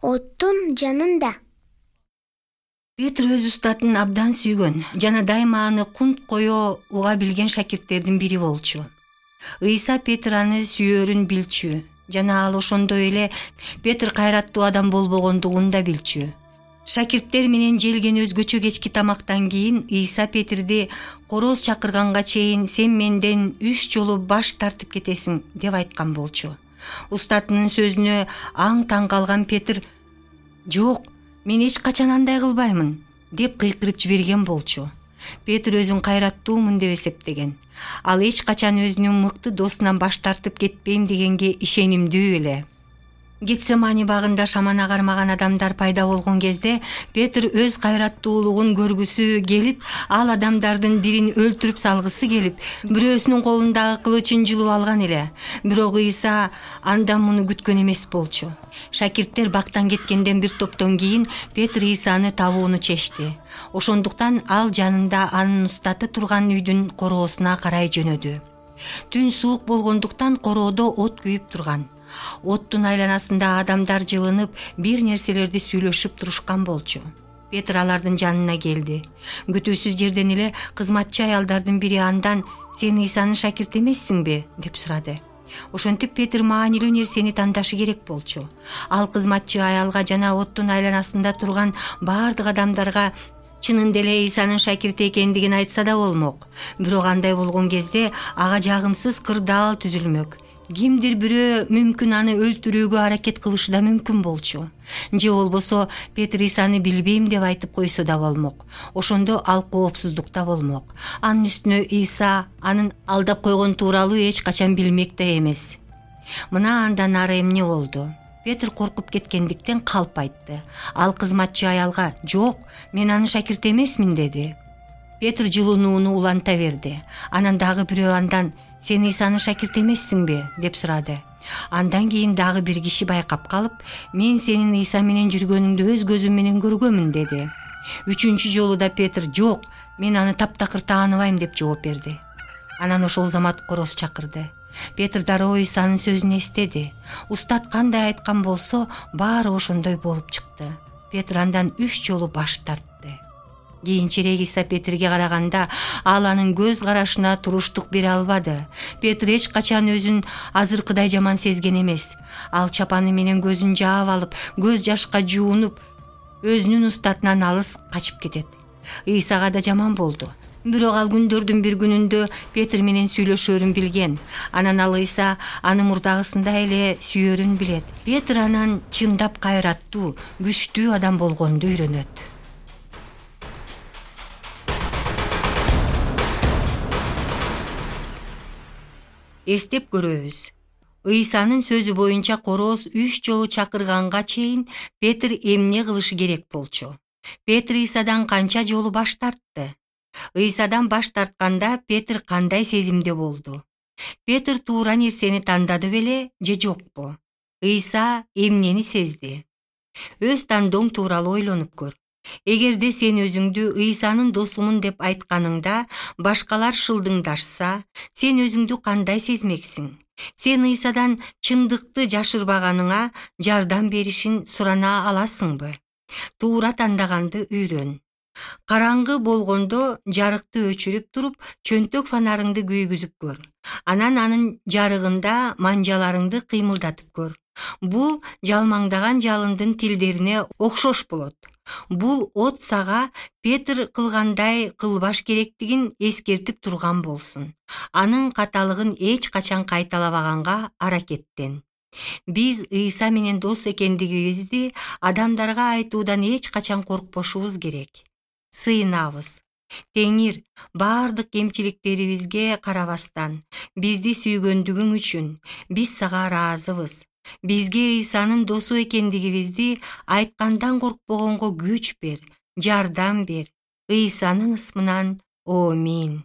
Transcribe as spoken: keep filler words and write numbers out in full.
оттун жанында. Петр өз устатын абдан сүйгөн жана дайыма аны кунт кое уга билген шакирттердин бири болчу. Ыйса Петр аны сүйөрүн билчү жана ал ошондой эле Петр кайраттуу адам болбогондугун да билчү. Шакирттер менен желген өзгөчө кечки тамактан кийин Ыйса Петрди короз чакырганга чейин сен менден үч жолу баш тартып кетесиң деп айткан болчу. Устатынын сөзүнө аң таң калган Петр «Жок, мен эч качан андай кылбаймын» деп кыйкырып жиберген болчу. Петр өзүн кайраттуумун деп эсептеген. Ал эч качан өзүнүн мыкты досунан баш тартып кетпейм дегенге ишенимдүү эле. Гетсемани багында шамана кармаган адамдар пайда болгон кезде Петр өз кайраттуулугун көргүсү келип, ал адамдардын бирин өлтүрүп салгысы келип, бирөөсүнүн колундагы кылычын жулуп алган эле. Бирок Ыйса андан муну күткөн эмес болчу. Шакирттер бактан кеткенден бир топтон кийин Петр Ыйсаны табууну чечти. Ошондуктан ал жанында анын устаты турган үйдүн короосуна карай жөнөдү. Түн суук болгондуктан короодо от күйүп турган. Оттун айланасында адамдар жылынып, бир нерселерди сүйлөшүп турушкан болчу. Петр алардын жанына келди. Күтүүсүз жерден эле кызматчы аялдардын бири андан «Сен Ыйсанын шакирти эмессиңби?» деп сурады. Ошентип Петр маанилүү нерсени тандашы керек болчу. Ал кызматчы аялга жана оттун айланасында турган бардык адамдарга чынында эле Ыйсанын шакирти экендигин айтса да болмок. Бирок андай болгон кезде ага жагымсыз кырдаал түзүлмөк. Кимдир бирөө мүмкүн аны өлтүрүүгө аракет кылышы да мүмкүн болчу. Же болбосо Петр Ыйсаны билбейм деп айтып койсо да болмок. Ошондо ал коопсуздукта болмок. Анын үстүнө Ыйса анын алдап койгон тууралуу эч качан билмек да эмес. Мына андан ары эмне болду? Петр коркуп кеткендиктен калп айтты. Ал кызматчы аялга «Жок, мен анын шакирти эмесмин» деди. Петр жылынууну уланта берди. Анан дагы бирөө андан «Сен Ыйсанын шакирти эмессиңби?» деп сурады. Андан кийин дагы бир киши байкап калып, «Мен сенин Ыйса менен жүргөнүңдү өз көзүм менен көргөмүн» деди. Үчүнчү жолу да Петр «Жок, мен аны таптакыр тааныбайм» деп жооп берди. Анан ошол замат короз чакырды. Петр дароо Ыйсанын сөзүн эстеди. Устат кандай айткан болсо, баары ошондой болуп чыкты. Петр андан үч жолу баш тартты. Кийинчерээк Ыйса Петрге караганда ал анын көз карашына туруштук бере албады. Петр эч качан өзүн азыркыдай жаман сезген эмес. Ал чапаны менен көзүн жаап алып, көз жашка жуунуп, өзүнүн устатынан алыс качып кетет. Ыйсага да жаман болду. Бирок ал күндөрдүн бир күнүндө Петр менен сүйлөшөрүн билген. Анан ал Ыйса аны мурдагысында эле сүйөрүн билет. Петр анан чындап кайраттуу, күчтүү адам болгонду үйрөнөт. Эстеп көрөбүз. Ыйсанын сөзү боюнча короз үч жолу чакырганга чейин Петр эмне кылышы керек болчу? Петр Ыйсадан канча жолу баш тартты? Ыйсадан баш тартканда Петр кандай сезимде болду? Петр туура нерсени тандады беле же жокпу? Ыйса эмнени сезди? Өз тандооң тууралуу ойлонуп көр. Эгерде сен өзүңдү Ыйсанын досумун деп айтканыңда башкалар шылдыңдашса, сен өзүңдү кандай сезмексиң? Сен Ыйсадан чындыкты жашырбаганыңа жардам беришин сурана аласыңбы? Туура тандаганды үйрөн. Караңгы болгондо жарыкты өчүрүп туруп, чөнтөк фонарыңды күйгүзүп көр. Анан анын жарыгында манжаларыңды кыймылдатып көр. Бул жалмаңдаган жалындын тилдерине окшош болот. Бул от сага Петр кылгандай кылбаш керектигин эскертип турган болсун. Анын каталыгын эч качан кайталабаганга аракеттен. Биз Ыйса менен дос экендигибизди адамдарга айтуудан эч качан коркпошубуз керек. Сыйынабыз. Теңир баардык кемчиликтерибизге карабастан бизди сүйгөндүгүң үчүн биз сага ыраазыбыз. Бизге Ыйсанын досу экендигибизди айткандан коркпогонго күч бер, жардам бер. Ыйсанын ысмынан. Амин.